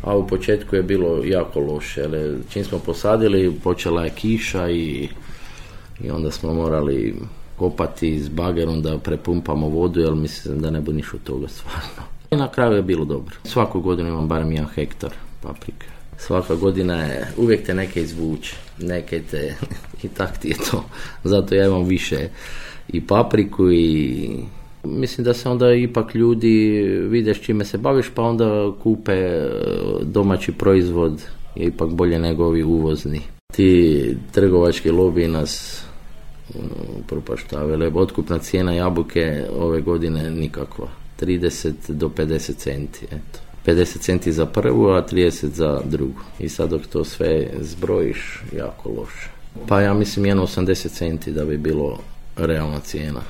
A u početku je bilo jako loše, ali čim smo posadili počela je kiša i onda smo morali kopati s bagerom da prepumpamo vodu, jer mislim da ne bude ništa od toga stvarno. I na kraju je bilo dobro. Svaku godinu imam barem 1 hektar paprike. Svaka godina je, uvijek te neke izvuče, neke te i tak ti je to. Zato ja imam više i papriku i mislim da se onda ipak ljudi vide s čime se baviš, pa onda kupe domaći proizvod, je ipak bolje nego ovi uvozni. Ti trgovački lobiji nas propaštavaju. Otkupna cijena jabuke ove godine nikakva. 30 do 50 centi. Eto. 50 centi za prvu, a 30 za drugu. I sad dok to sve zbrojiš, jako loše. Pa ja mislim 1,80 centi da bi bilo realna cijena.